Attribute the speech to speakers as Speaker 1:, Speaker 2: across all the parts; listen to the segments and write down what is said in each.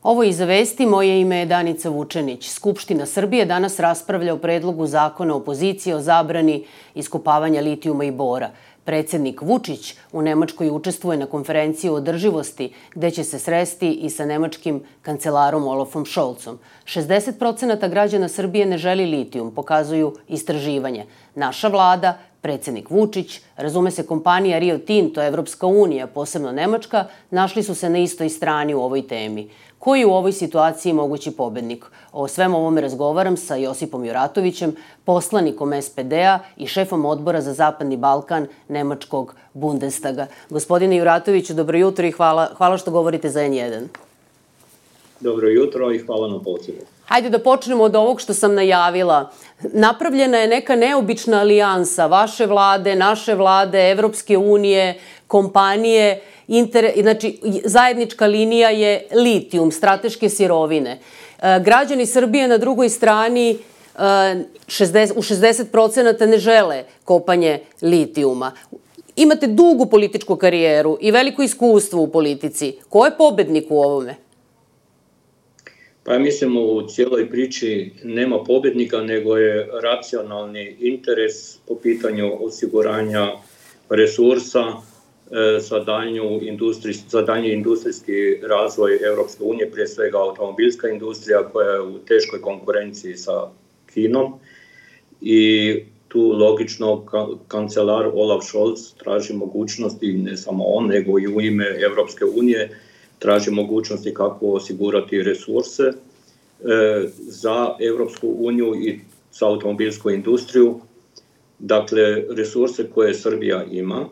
Speaker 1: Ovo je Iza vesti, moje ime je Danica Vučenić. Skupština Srbije danas raspravlja o predlogu zakona opozicije o zabrani iskopavanja litijuma i bora. Predsednik Vučić u Nemačkoj učestvuje na konferenciji o održivosti, gde će se sresti i sa nemačkim kancelarom Olafom Scholzom. 60% građana Srbije ne želi litijum, pokazuju istraživanje. Naša vlada, predsednik Vučić, razume se kompanija Rio Tinto, Evropska unija, posebno Nemačka, našli su se na istoj strani u ovoj temi. Koji je u ovoj situaciji mogući pobednik? O svemu ovome razgovaram sa Josipom Juratovićem, poslanikom SPD-a i šefom odbora za Zapadni Balkan Nemačkog Bundestaga. Gospodine Juratoviću, dobro jutro i hvala što govorite za N1.
Speaker 2: Dobro jutro i hvala na pozivu.
Speaker 1: Hajde da počnemo od ovog što sam najavila. Napravljena je neka neobična alijansa vaše vlade, naše vlade, Evropske unije, kompanije. Znači, zajednička linija je litijum, strateške sirovine. Građani Srbije na drugoj strani u 60% ne žele kopanje litijuma. Imate dugu političku karijeru i veliko iskustvo u politici. Ko je pobednik u ovome?
Speaker 2: Pa ja mislim u cijeloj priči nema pobjednika, nego je racionalni interes po pitanju osiguranja resursa za daljnji industrijski razvoj Evropske unije, prije svega automobilska industrija koja je u teškoj konkurenciji sa Kinom. I tu logično kancelar Olaf Scholz traži mogućnosti, ne samo on, nego i u ime Evropske unije, traži mogućnosti kako osigurati resurse za Evropsku uniju i za automobilsku industriju. Dakle, resurse koje Srbija ima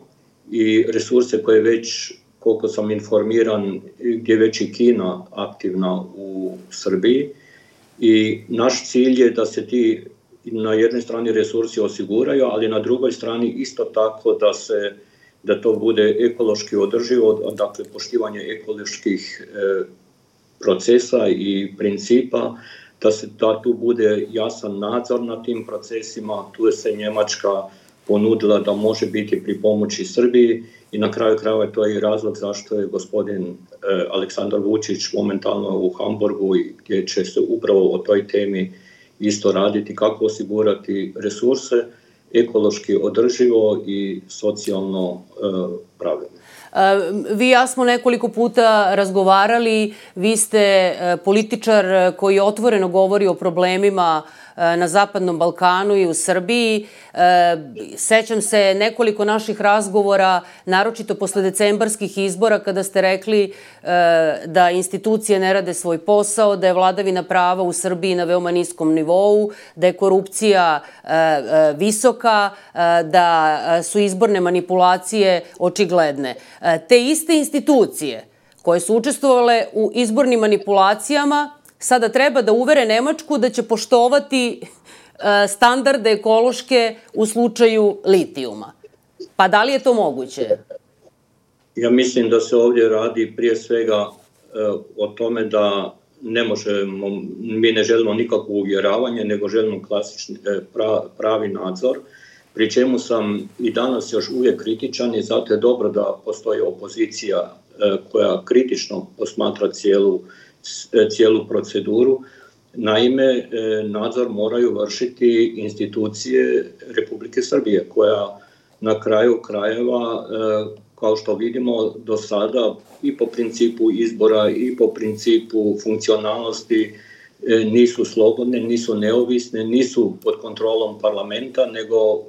Speaker 2: i resurse koje već, koliko sam informiran, gdje već i Kina aktivna u Srbiji. I naš cilj je da se ti na jednoj strani resursi osiguraju, ali na drugoj strani isto tako da to bude ekološki održivo, dakle poštivanje ekoloških procesa i principa, da tu bude jasan nadzor nad tim procesima. Tu je se Njemačka ponudila da može biti pri pomoći Srbiji i na kraju krajeva to je i razlog zašto je gospodin Aleksandar Vučić momentalno u Hamburgu, gdje će se upravo o toj temi isto raditi, kako osigurati resurse ekološki održivo i socijalno pravilno.
Speaker 1: Vi i ja smo nekoliko puta razgovarali, vi ste političar koji otvoreno govori o problemima na Zapadnom Balkanu i u Srbiji. Sećam se nekoliko naših razgovora, naročito posle decembarskih izbora, kada ste rekli da institucije ne rade svoj posao, da je vladavina prava u Srbiji na veoma niskom nivou, da je korupcija visoka, da su izborne manipulacije očigledne. Te iste institucije koje su učestvovale u izbornim manipulacijama sada treba da uvere Nemačku da će poštovati standarde ekološke u slučaju litijuma. Pa da li je to moguće?
Speaker 2: Ja mislim da se ovdje radi prije svega o tome da mi ne želimo nikakvo uvjeravanje, nego želimo klasični pravi nadzor, pri čemu sam i danas još uvijek kritičan i zato je dobro da postoji opozicija koja kritično posmatra cijelu proceduru. Naime, nadzor moraju vršiti institucije Republike Srbije, koja na kraju krajeva, kao što vidimo do sada, i po principu izbora i po principu funkcionalnosti nisu slobodne, nisu neovisne, nisu pod kontrolom parlamenta, nego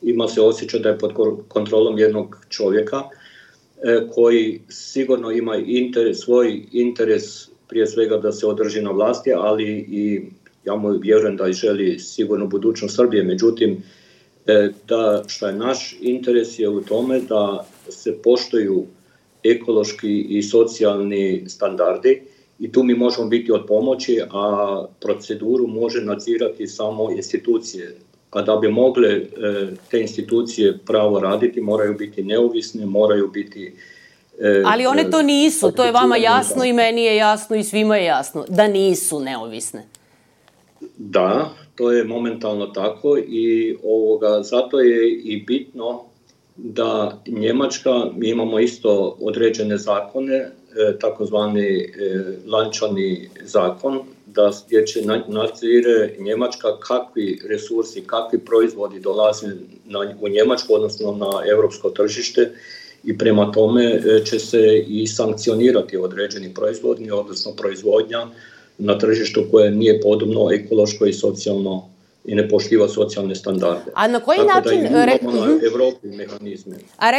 Speaker 2: ima se osjećaj da je pod kontrolom jednog čovjeka koji sigurno ima svoj interes prije svega da se održi na vlasti, ali i ja mu vjerujem da želi sigurno budućnost Srbije. Međutim, što je naš interes je u tome da se poštuju ekološki i socijalni standardi i tu mi možemo biti od pomoći, a proceduru može nadzirati samo institucije. A da bi mogle te institucije pravo raditi, moraju biti neovisne, moraju biti...
Speaker 1: Ali one to nisu, to je vama jasno i meni je jasno i svima je jasno, da nisu neovisne.
Speaker 2: Da, to je momentalno tako i zato je i bitno da Njemačka, mi imamo isto određene zakone takozvani lančani zakon, gdje će nadzire Njemačka kakvi resursi, kakvi proizvodi dolaze u Njemačku, odnosno na europsko tržište, i prema tome će se i sankcionirati određeni proizvodni, odnosno proizvodnja na tržištu koje nije podobno ekološko i socijalno i ne poštiva socijalne standarde.
Speaker 1: A na koji
Speaker 2: tako
Speaker 1: način...
Speaker 2: Da imamo na Evropi mehanizme.
Speaker 1: A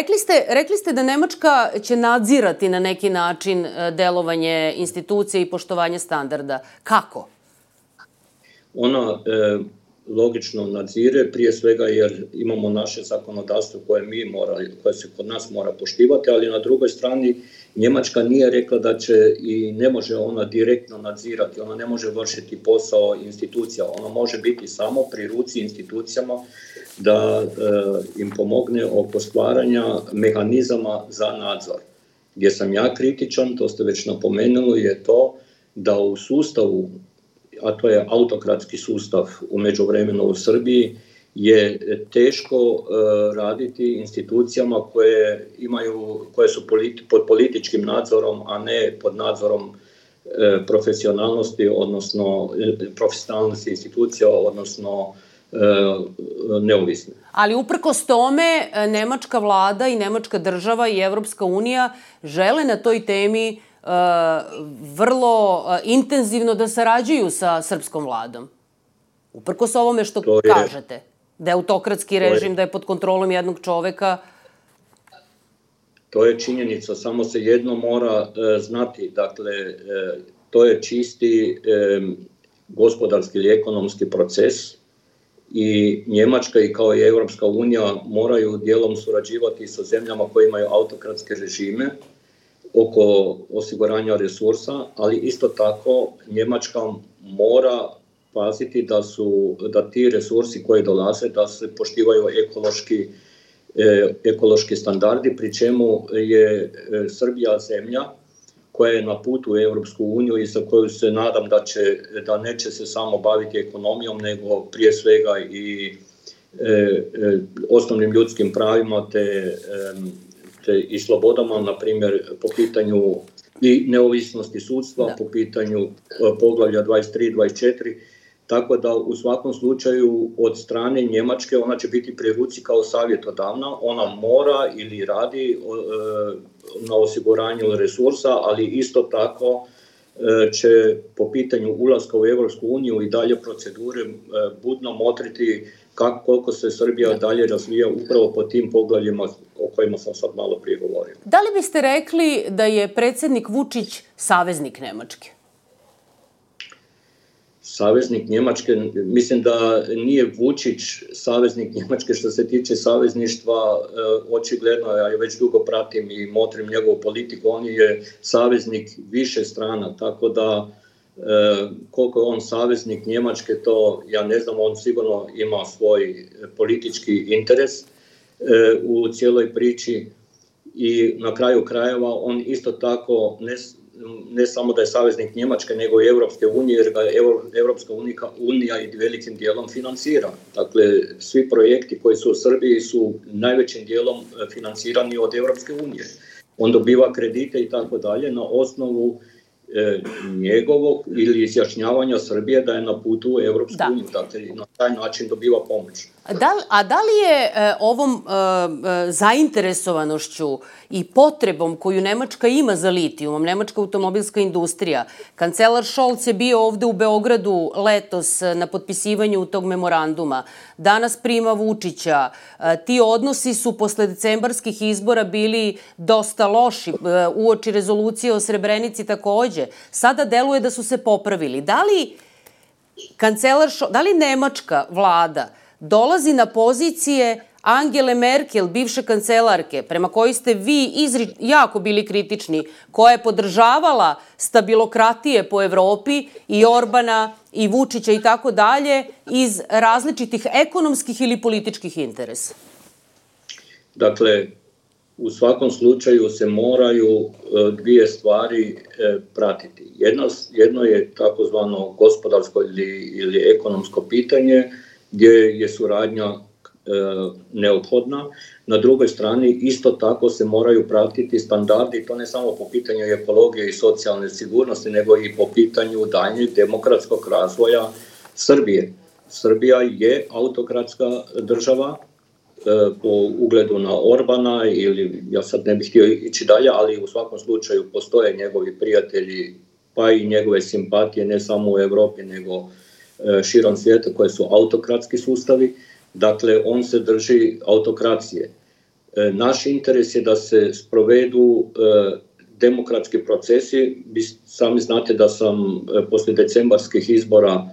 Speaker 1: rekli ste da Nemačka će nadzirati na neki način delovanje institucije i poštovanje standarda. Kako?
Speaker 2: Ona logično nadzire, prije svega jer imamo naše zakonodavstvo koje se kod nas mora poštivati, ali na drugoj strani Njemačka nije rekla da će i ne može ona direktno nadzirati, ona ne može vršiti posao institucija, ona može biti samo pri ruci institucijama da im pomogne oko stvaranja mehanizama za nadzor. Gdje sam ja kritičan, to ste već napomenuli, je to da u sustavu, a to je autokratski sustav u međuvremenu u Srbiji, je teško raditi institucijama koje su pod političkim nadzorom, a ne pod nadzorom profesionalnosti, odnosno profesionalnosti institucija, odnosno neovisne.
Speaker 1: Ali uprkos tome, nemačka vlada i nemačka država i Evropska unija žele na toj temi vrlo intenzivno da sarađuju sa srpskom vladom. Uprkos ovome što kažete, da je autokratski režim, da je pod kontrolom jednog čoveka.
Speaker 2: To je činjenica, samo se jedno mora znati, dakle, to je čisti gospodarski ili ekonomski proces i Njemačka i kao i Evropska unija moraju dijelom surađivati sa zemljama koje imaju autokratske režime oko osiguranja resursa, ali isto tako Njemačka mora paziti da ti resursi koji dolaze, da se poštivaju ekološki standardi, pri čemu je Srbija zemlja koja je na putu u Evropsku uniju i za koju se nadam da neće se samo baviti ekonomijom, nego prije svega i osnovnim ljudskim pravima i slobodama, na primjer po pitanju i neovisnosti sudstva, po pitanju poglavlja 23, 24, tako da u svakom slučaju od strane Njemačke ona će biti pri ruci kao savjetodavna, ona mora ili radi na osiguranju resursa, ali isto tako će po pitanju ulaska u Evropsku uniju i dalje procedure budno motriti koliko se Srbija dalje razvija upravo po tim poglavljima o kojima sam sad malo prije govorio.
Speaker 1: Da li biste rekli da je predsjednik Vučić saveznik Nemačke?
Speaker 2: Saveznik Njemačke, mislim da nije Vučić saveznik Njemačke što se tiče savezništva, očigledno, ja već dugo pratim i motrim njegovu politiku, on je saveznik više strana, tako da koliko je on saveznik Njemačke, to ja ne znam, on sigurno ima svoj politički interes u cijeloj priči i na kraju krajeva on isto tako ne samo da je saveznik Njemačke, nego i Evropske unije, jer ga Evropska unija i velikim dijelom financira. Dakle, svi projekti koji su u Srbiji su najvećim dijelom financirani od Evropske unije. On dobiva kredite i tako dalje na osnovu njegovog ili izjašnjavanja Srbije da je na putu u Evropsku uniju. Dakle, na taj način dobiva pomoć.
Speaker 1: A da li je ovom zainteresovanošću i potrebom koju Nemačka ima za litijumom, nemačka automobilska industrija, kancelar Scholz je bio ovde u Beogradu letos na potpisivanju tog memoranduma, danas prima Vučića, ti odnosi su posle decembarskih izbora bili dosta loši, uoči rezolucije o Srebrenici takođe. Sada deluje da su se popravili. Da li nemačka vlada dolazi na pozicije Angele Merkel, bivše kancelarke, prema kojoj ste vi jako bili kritični, koja je podržavala stabilokratije po Evropi i Orbana i Vučića i tako dalje iz različitih ekonomskih ili političkih interesa?
Speaker 2: Dakle, u svakom slučaju se moraju dvije stvari pratiti. Jedno je takozvano gospodarsko ili ekonomsko pitanje, gdje je suradnja neophodna. Na drugoj strani isto tako se moraju pratiti standardi, to ne samo po pitanju ekologije i socijalne sigurnosti, nego i po pitanju daljnjeg demokratskog razvoja Srbije. Srbija je autokratska država po ugledu na Orbana, ili ja sad ne bih htio ići dalje, ali u svakom slučaju postoje njegovi prijatelji, pa i njegove simpatije ne samo u Evropi nego širom svijeta koje su autokratski sustavi. Dakle, on se drži autokracije. Naš interes je da se sprovedu demokratski procesi. Vi sami znate da sam poslije decembarskih izbora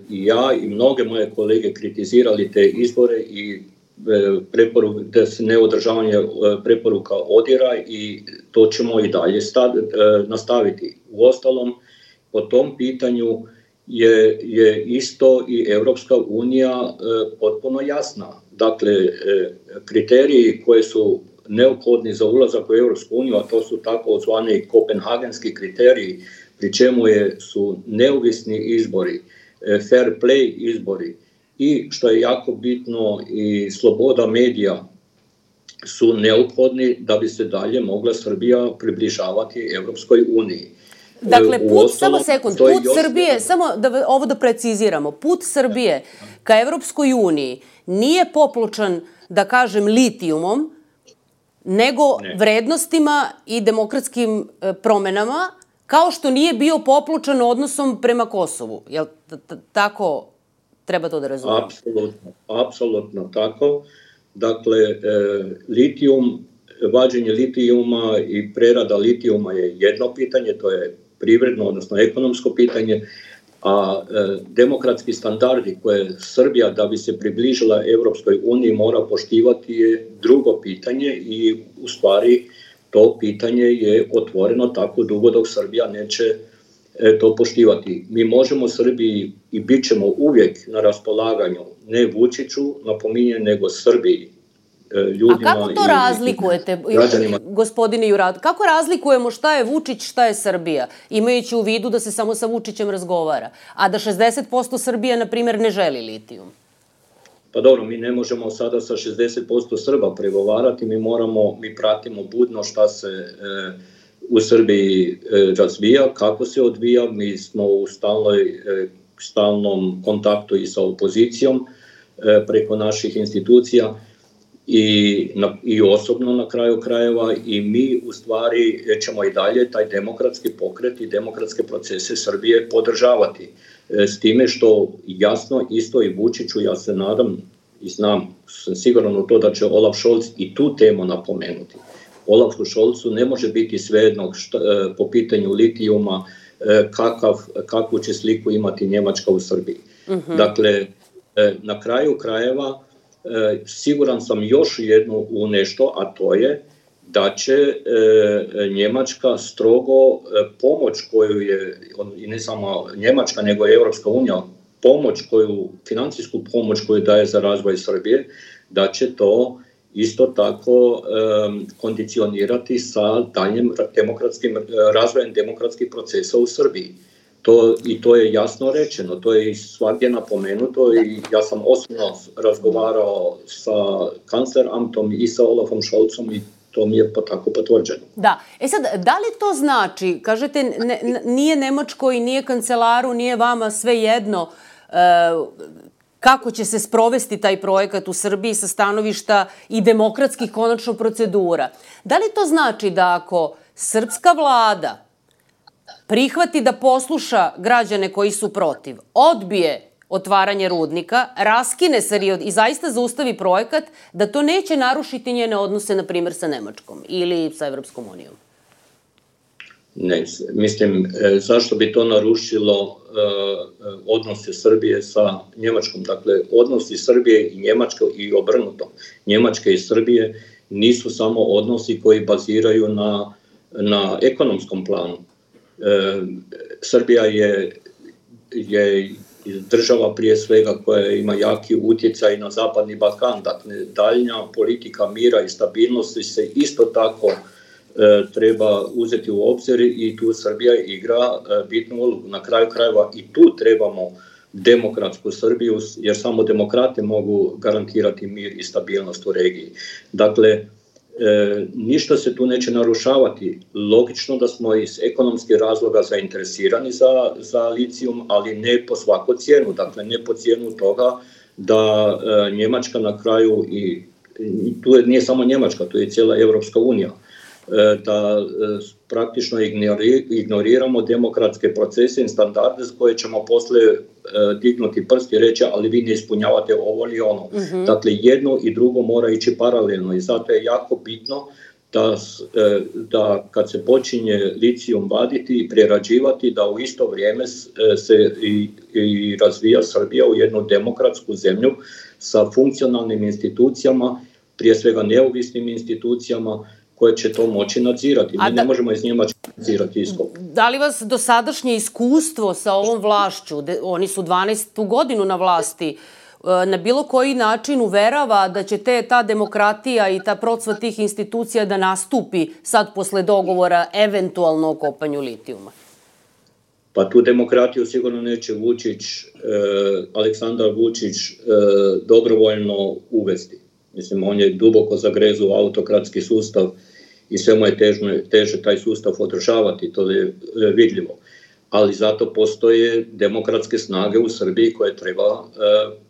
Speaker 2: i ja i mnoge moje kolege kritizirali te izbore i da se neodržavanje preporuka odira, i to ćemo i dalje nastaviti. Uostalom, po tom pitanju je isto i Evropska unija potpuno jasna. Dakle, kriteriji koji su neophodni za ulazak u Evropsku uniju, a to su takozvani kopenhagenski kriteriji, pri čemu su neovisni izbori, fair play izbori i, što je jako bitno, i sloboda medija su neophodni da bi se dalje mogla Srbija približavati Evropskoj uniji.
Speaker 1: Dakle, put Srbije, samo ovo da preciziramo, put Srbije ka Evropskoj uniji nije popločan, da kažem, litijumom, nego vrednostima i demokratskim promenama, kao što nije bio popločan odnosom prema Kosovu. Jel tako treba to da razumemo?
Speaker 2: Apsolutno tako. Dakle, vađenje litijuma i prerada litijuma je jedno pitanje, to je privredno, odnosno ekonomsko pitanje, a demokratski standardi koje Srbija, da bi se približila Evropskoj uniji, mora poštivati je drugo pitanje, i u stvari to pitanje je otvoreno tako dugo dok Srbija neće to poštivati. Mi možemo Srbiji i bit ćemo uvijek na raspolaganju, ne Vučiću, napominjem, nego Srbiji.
Speaker 1: A kako to razlikujete, gospodine Jurad? Kako razlikujemo šta je Vučić, šta je Srbija, imajući u vidu da se samo sa Vučićem razgovara, a da 60% Srbije, na primjer, ne želi litijum?
Speaker 2: Pa dobro, mi ne možemo sada sa 60% Srba pregovarati, mi pratimo budno šta se u Srbiji razvija, kako se odvija, mi smo u stalnom kontaktu i sa opozicijom preko naših institucija, i osobno na kraju krajeva, i mi u stvari ćemo i dalje taj demokratski pokret i demokratske procese Srbije podržavati. S time što jasno isto i Vučiću, ja se nadam i znam, sam siguran u to da će Olaf Scholz i tu temu napomenuti. Olafu Scholzu ne može biti svejedno po pitanju litijuma kakvu će sliku imati Njemačka u Srbiji. Dakle, na kraju krajeva siguran sam još jednu u nešto, a to je da će Njemačka strogo pomoć koju je, i ne samo Njemačka nego i Evropska unija, financijsku pomoć koju daje za razvoj Srbije, da će to isto tako kondicionirati sa daljnjim razvojem demokratskih procesa u Srbiji. I to je jasno rečeno, to je i svagdje napomenuto, i ja sam osobno razgovarao sa kancleramtom i sa Olafom Scholzom, i to mi je tako potvrđeno.
Speaker 1: Da. Sad, da li to znači, kažete, nije Nemačkoj, nije kancelaru, nije vama sve jedno kako će se sprovesti taj projekat u Srbiji sa stanovišta i demokratskih konačno procedura? Da li to znači da ako srpska vlada prihvati da posluša građane koji su protiv, odbije otvaranje rudnika, raskine se i zaista zaustavi projekat, da to neće narušiti njene odnose, na primjer, sa Nemačkom ili sa Evropskom unijom?
Speaker 2: Ne, mislim, zašto bi to narušilo odnose Srbije sa Njemačkom? Dakle, odnosi Srbije i Njemačke i obrnuto. Njemačke i Srbije nisu samo odnosi koji baziraju na ekonomskom planu. Srbija je država prije svega koja ima jaki utjecaj na Zapadni Balkan, dakle daljnja politika mira i stabilnosti se isto tako treba uzeti u obzir, i tu Srbija igra bitnu ulogu. Na kraju krajeva i tu trebamo demokratsku Srbiju, jer samo demokrate mogu garantirati mir i stabilnost u regiji. Dakle, ništa se tu neće narušavati. Logično da smo iz ekonomskih razloga zainteresirani za litijum, ali ne po svaku cijenu. Dakle, ne po cijenu toga da Njemačka na kraju, i tu nije samo Njemačka, tu je cijela Evropska unija, da praktično ignoriramo demokratske procese i standarde s koje ćemo posle dignuti prst i reći ali vi ne ispunjavate ovo ili ono. Dakle, jedno i drugo mora ići paralelno i zato je jako bitno da kad se počinje litijum vaditi i prerađivati, da u isto vrijeme se i razvija Srbija u jednu demokratsku zemlju sa funkcionalnim institucijama, prije svega neovisnim institucijama, koje će to moći nadzirati. Mi ne možemo iz Njemačke nadzirati iskop.
Speaker 1: Da li vas dosadašnje iskustvo sa ovom vlašću, oni su 12. godinu na vlasti, na bilo koji način uverava da će ta demokratija i ta procvat tih institucija da nastupi sad posle dogovora eventualno o kopanju litijuma?
Speaker 2: Pa tu demokratiju sigurno neće Aleksandar Vučić dobrovoljno uvesti. Mislim, on je duboko zagrezu u autokratski sustav i sve mu je teže taj sustav održavati, to je vidljivo. Ali zato postoje demokratske snage u Srbiji koje treba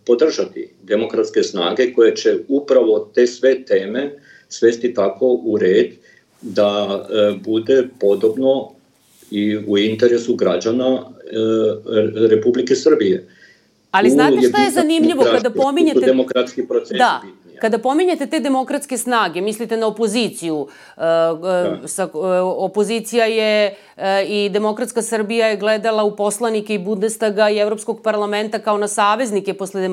Speaker 2: podržati. Demokratske snage koje će upravo te sve teme svesti tako u red da bude podobno i u interesu građana Republike Srbije.
Speaker 1: Ali znate šta je zanimljivo kada pominjete...
Speaker 2: Demokratski proces
Speaker 1: da. Kada pominjete te demokratske snage, mislite na opoziciju. Opozicija je i Demokratska Srbija je gledala u poslanike i Bundestaga i Evropskog parlamenta kao na saveznike posle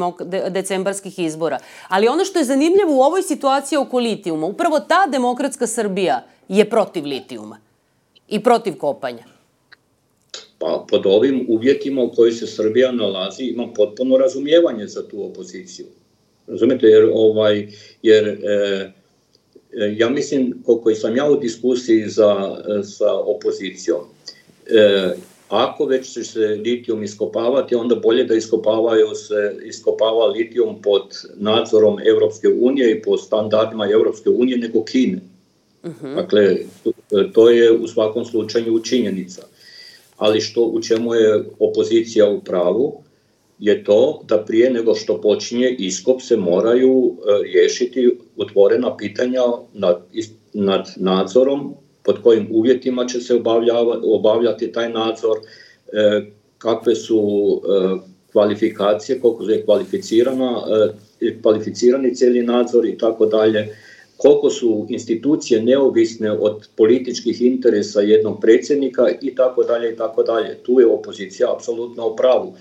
Speaker 1: decembarskih izbora. Ali ono što je zanimljivo u ovoj situaciji oko litijuma, upravo ta Demokratska Srbija je protiv litijuma i protiv kopanja.
Speaker 2: Pa pod ovim uvjetima u kojoj se Srbija nalazi imam potpuno razumijevanje za tu opoziciju. Razumete, jer ja mislim, koliko sam ja u diskusiji sa opozicijom, ako već će se litijum iskopavati, onda bolje da iskopava litijum pod nadzorom Evropske unije i pod standardima Evropske unije nego Kine. Dakle, to je u svakom slučaju činjenica. Ali u čemu je opozicija u pravu? Je to da prije nego što počinje iskop se moraju riješiti otvorena pitanja nad nadzorom, pod kojim uvjetima će se obavljati taj nadzor, kakve su kvalifikacije, koliko je kvalificirani cijeli nadzor i tako dalje, koliko su institucije neovisne od političkih interesa jednog predsjednika i tako dalje i tako dalje. Tu je opozicija apsolutno u pravu.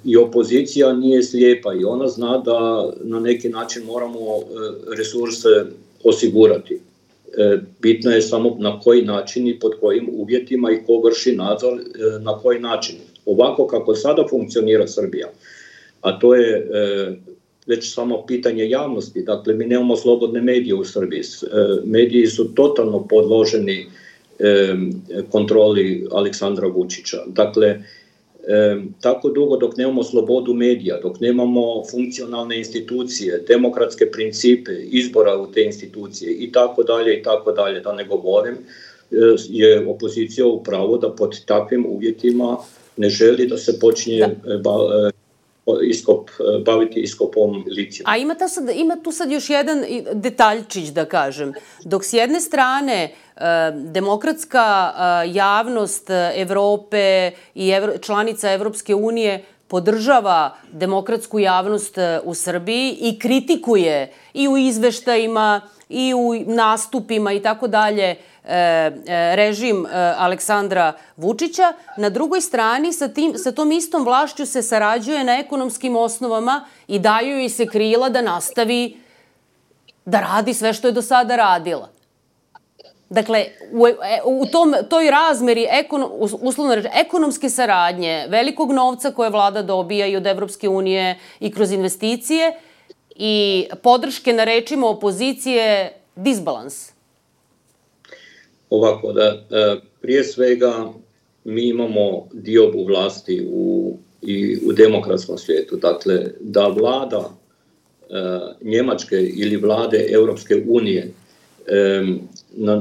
Speaker 2: I opozicija nije slijepa i ona zna da na neki način moramo resurse osigurati. Bitno je samo na koji način i pod kojim uvjetima i ko vrši nadzor na koji način. Ovako kako sada funkcionira Srbija, a to je već samo pitanje javnosti. Dakle, mi nemamo slobodne medije u Srbiji. Mediji su totalno podloženi kontroli Aleksandra Vučića. Dakle, tako dugo dok nemamo slobodu medija, dok nemamo funkcionalne institucije, demokratske principe, izbora u te institucije i tako dalje, da ne govorim, je opozicija u pravu da pod takvim uvjetima ne želi da se počinje baviti iskopom litijuma.
Speaker 1: A ima tu sad još jedan detaljčić, da kažem. Dok s jedne strane demokratska javnost Evrope i članica Evropske unije podržava demokratsku javnost u Srbiji i kritikuje i u izveštajima i u nastupima i tako dalje režim Aleksandra Vučića. Na drugoj strani sa tom istom vlašću se sarađuje na ekonomskim osnovama i daju joj se krila da nastavi da radi sve što je do sada radila. Dakle, u toj razmeri, uslovno reći, ekonomske saradnje, velikog novca koje vlada dobija i od Evropske unije i kroz investicije i podrške na rečima opozicije, disbalans.
Speaker 2: Ovako, prije svega mi imamo diobu vlasti i u demokratskom svijetu. Dakle, da vlada Njemačke ili vlade Europske unije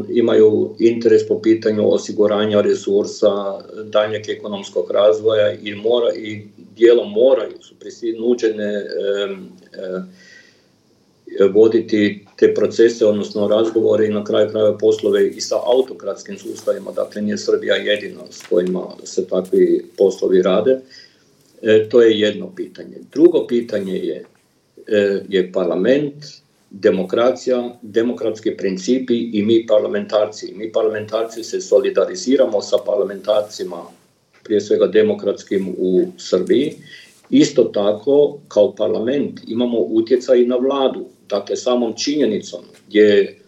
Speaker 2: imaju interes po pitanju osiguranja resursa, daljnjeg ekonomskog razvoja i dijelom moraju su prisinuđene voditi te procese, odnosno razgovore i na kraju krajeva poslove i sa autokratskim sustavima. Dakle, nije Srbija jedina s kojima se takvi poslovi rade. To je jedno pitanje. Drugo pitanje je parlament, demokracija, demokratski principi i mi parlamentarci. Mi parlamentarci se solidariziramo sa parlamentarcima, prije svega demokratskim u Srbiji. Isto tako, kao parlament imamo utjecaj na vladu. Dakle, samom činjenicom gdje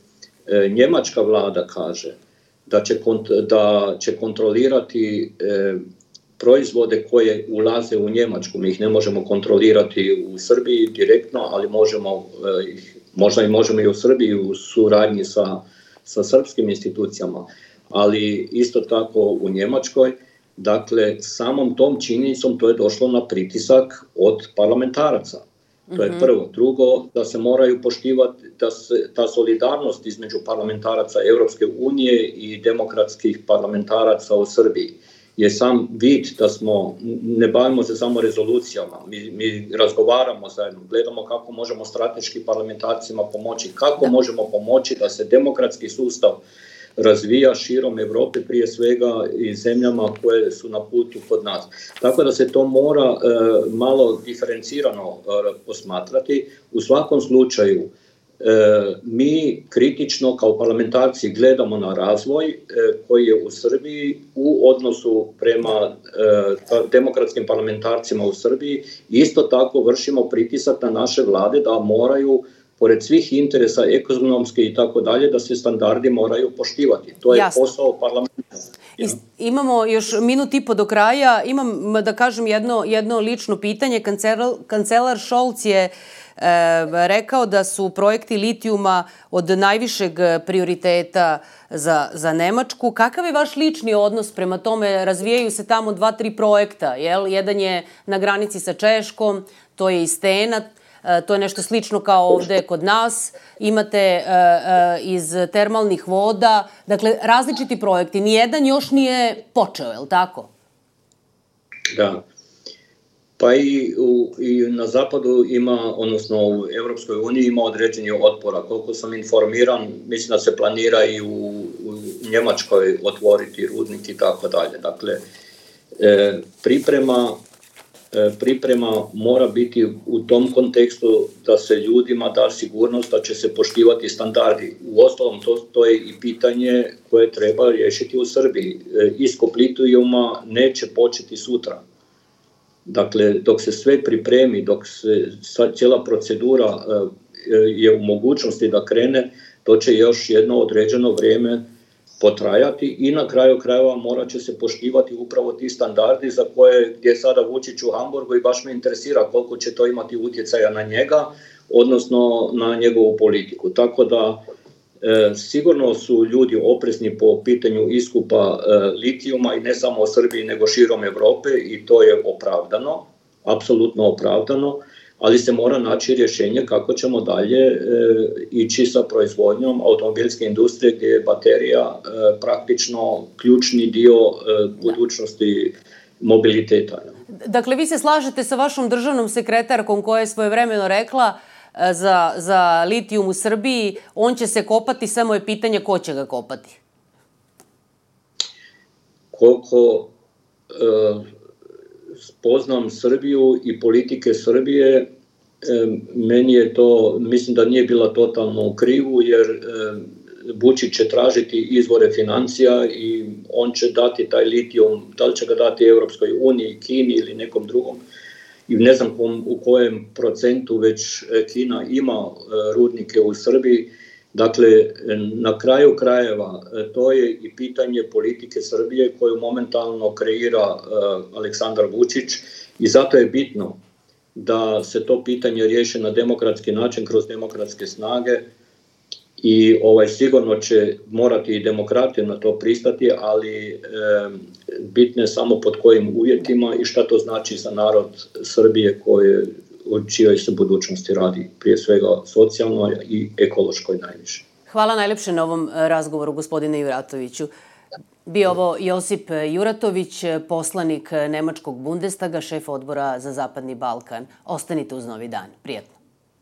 Speaker 2: njemačka vlada kaže da će kontrolirati proizvode koje ulaze u Njemačku. Mi ih ne možemo kontrolirati u Srbiji direktno, ali možemo i u Srbiji u suradnji sa srpskim institucijama, ali isto tako u Njemačkoj. Dakle, samom tom činjenicom to je došlo na pritisak od parlamentaraca. To je prvo. Drugo, da se moraju poštivati ta solidarnost između parlamentaraca Europske unije i demokratskih parlamentaraca u Srbiji. Je sam vid da ne bavimo se samo rezolucijama, mi razgovaramo zajedno, gledamo kako možemo strateški parlamentarcima pomoći, kako možemo pomoći da se demokratski sustav razvija širom Europe, prije svega i zemljama koje su na putu kod nas. Tako da se to mora malo diferencirano posmatrati. U svakom slučaju, mi kritično kao parlamentarci gledamo na razvoj koji je u Srbiji u odnosu prema demokratskim parlamentarcima u Srbiji. Isto tako vršimo pritisak na naše vlade da moraju, pored svih interesa ekonomske i tako dalje, da se standardi moraju poštivati. To je posao parlamenta.
Speaker 1: Imamo još minut i po do kraja. Imam, da kažem, jedno lično pitanje. Kancelar Scholz je rekao da su projekti litijuma od najvišeg prioriteta za Nemačku. Kakav je vaš lični odnos prema tome? Razvijaju se tamo 2-3 projekta. Jedan je na granici sa Češkom, to je i Stena, to je nešto slično kao ovde kod nas. Imate iz termalnih voda. Dakle, različiti projekti. Nijedan još nije počeo, je li tako?
Speaker 2: Da. Pa i na zapadu ima, odnosno u Europskoj uniji ima određeni otpora. Koliko sam informiran, mislim da se planira i u Njemačkoj otvoriti rudnik i tako dalje. Dakle, priprema mora biti u tom kontekstu da se ljudima da sigurnost da će se poštivati standardi. Uostalom, to je i pitanje koje treba riješiti u Srbiji. Iskop litijuma neće početi sutra. Dakle, dok se sve pripremi, dok se cijela procedura je u mogućnosti da krene, to će još jedno određeno vrijeme potrajati i na kraju krajeva morat će se poštivati upravo ti standardi za koje je sada Vučić u Hamburgu i baš me interesira koliko će to imati utjecaja na njega, odnosno na njegovu politiku. Tako da sigurno su ljudi oprezni po pitanju iskupa litijuma i ne samo u Srbiji nego širom Europe i to je opravdano, apsolutno opravdano, ali se mora naći rješenje kako ćemo dalje ići sa proizvodnjom automobilske industrije gdje je baterija praktično ključni dio budućnosti mobiliteta.
Speaker 1: Dakle, vi se slažete sa vašom državnom sekretarkom koja je svojevremeno rekla za litijum u Srbiji, on će se kopati, samo je pitanje ko će ga kopati.
Speaker 2: Koliko spoznam Srbiju i politike Srbije, mislim da nije bila totalno u krivu, jer Vučić će tražiti izvore financija i on će dati taj litijum, da li će ga dati Europskoj uniji, Kini ili nekom drugom. I ne znam u kojem procentu već Kina ima rudnike u Srbiji. Dakle, na kraju krajeva to je i pitanje politike Srbije koju momentalno kreira Aleksandar Vučić i zato je bitno da se to pitanje riješi na demokratski način kroz demokratske snage i sigurno će morati i demokrati na to pristati, ali bitno je samo pod kojim uvjetima i šta to znači za narod Srbije o čijoj se budućnosti radi, prije svega socijalno i ekološkoj najviše.
Speaker 1: Hvala najlepše na ovom razgovoru, gospodine Juratoviću. Bio ovo Josip Juratović, poslanik Nemačkog Bundestaga, šef odbora za Zapadni Balkan. Ostanite uz Novi dan. Prijetno.